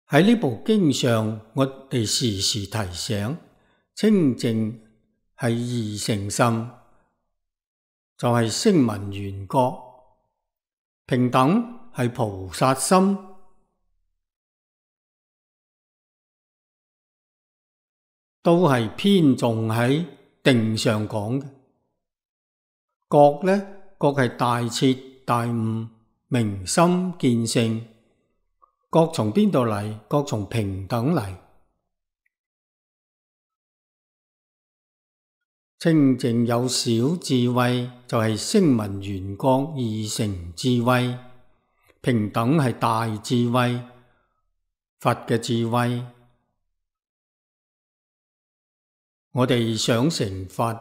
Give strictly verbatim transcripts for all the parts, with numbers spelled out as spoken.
喺呢部經上，我哋時時提醒，清淨係二乘心，就係聲聞緣覺；平等係菩薩心。都係偏重喺定上講嘅。覺呢，覺係大徹大悟、明心見性。覺從邊度嚟？覺從平等嚟。清淨有小智慧，就係聲聞緣覺二乘智慧；平等係大智慧，佛嘅智慧。我哋想成佛，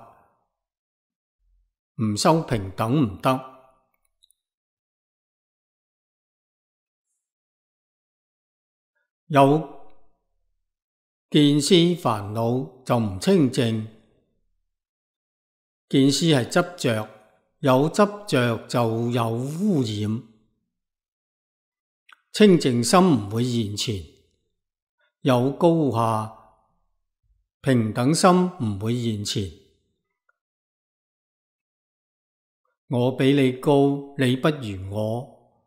唔修平等唔得。有見思煩惱就唔清淨，見思係執着，有執着就有污染。清淨心唔會現前，有高下。平等心唔會現前，我比你高，你不如我。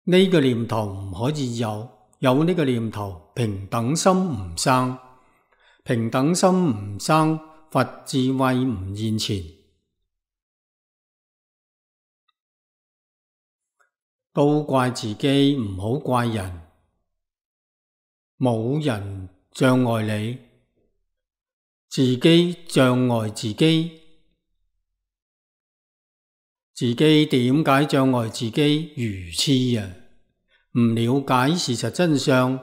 呢個念頭唔可以有，有呢個念頭，平等心唔生，平等心唔生，佛智慧唔現前。都怪自己，唔好怪人，冇人障礙你，自己障礙自己。自己點解障礙自己？愚癡啊！唔了解事實真相，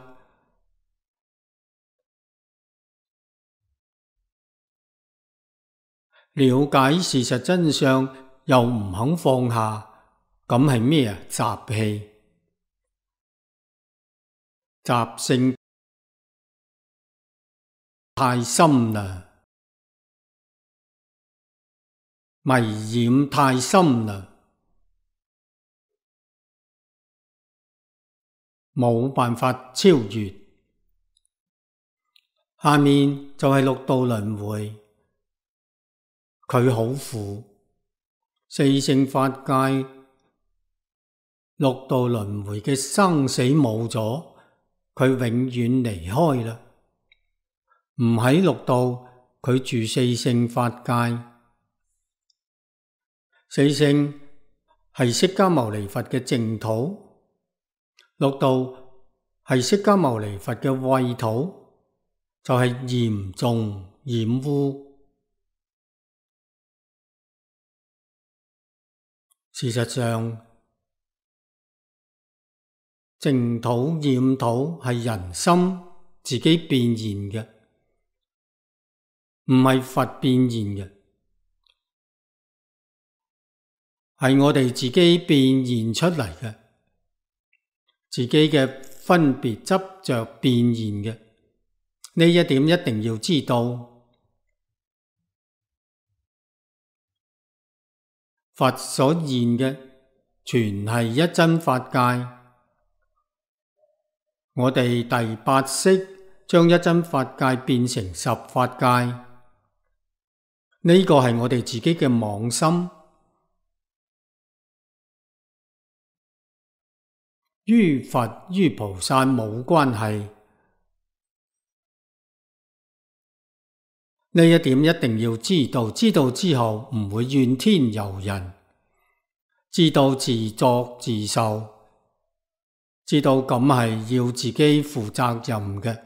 了解事實真相又唔肯放下，咁係咩啊？習氣、習性太深啦，迷染太深啦，冇辦法超越。下面就係六道輪迴，佢好苦。四聖法界六道輪迴嘅生死冇咗，佢永遠離開啦。唔喺六道，佢住四聖法界。四聖係釋迦牟尼佛嘅淨土，六道係釋迦牟尼佛嘅穢土，就係嚴重染污。事實上，淨土染土係人心自己變現嘅，唔係佛變現嘅，係我哋自己變現出嚟嘅，自己嘅分別執着變現嘅。呢一點一定要知道。佛所現嘅全係一真法界。我哋第八識將一真法界變成十法界，呢個係我哋自己嘅妄心，於佛於菩薩冇關係。呢一點一定要知道，知道之後唔會怨天尤人，知道自作自受，知道咁係要自己負責任嘅。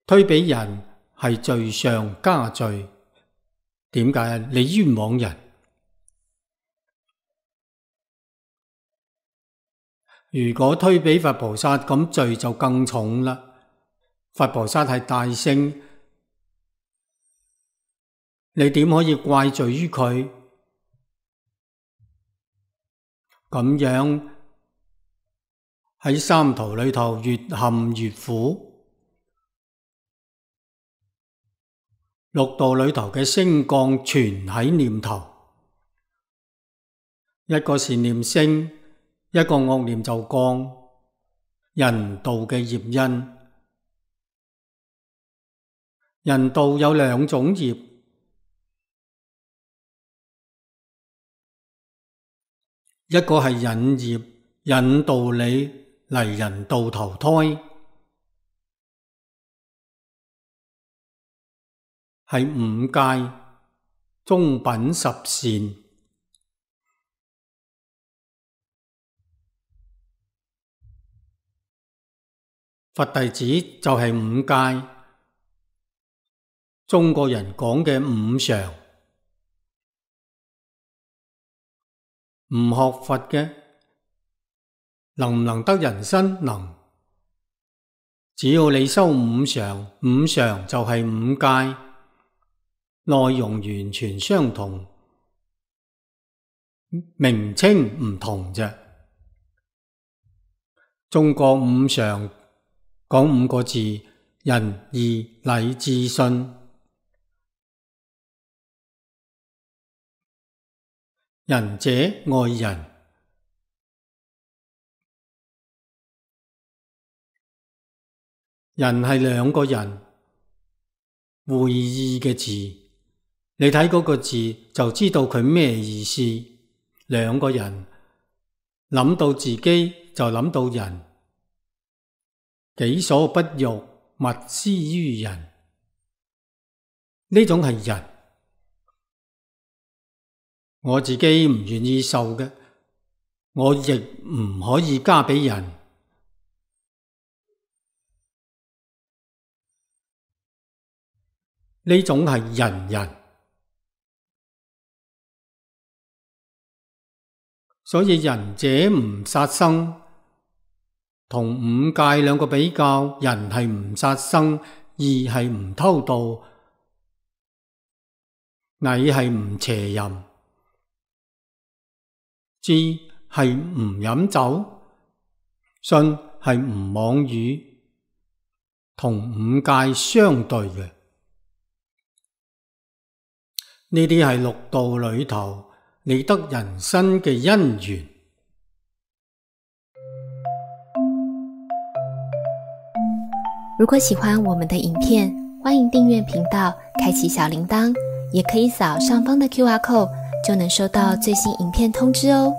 推俾人係罪上加罪。點解啊？你冤枉人。如果推俾佛菩薩，咁罪就更重啦。佛菩薩係大聖，你點可以怪罪於佢？咁樣喺三途裏頭越陷越苦。六道裏頭嘅升降全喺念頭，一個善念升，一個惡念就降，人道嘅業因。人道有兩種業，一個係引業，引導你嚟人道投胎，係五戒、中品十善。佛弟子就係五戒，中國人講嘅五常。唔學佛嘅，能唔能得人身？能。只要你修五常，五常就係五戒，內容完全相同，名稱唔同啫。中國五常講五個字：仁義禮智信。仁者愛人，人係兩個人會意嘅字，你睇嗰個字就知道佢咩意思。兩個人諗到自己就諗到人，己所不欲，勿施於人，呢種係人。我自己唔願意受嘅，我亦唔可以加俾人。呢種係仁人。所以仁者唔殺生，同五戒兩個比較，仁係唔殺生，義係唔偷盜，禮係唔邪淫，智係唔飲酒，信係唔妄語，同五戒相對嘅。呢啲係六道裏頭你得人身嘅因緣。如果喜歡我們的影片，歡迎訂閱頻道，開啟小鈴鐺，也可以掃上方的 Q R code，就能收到最新影片通知哦。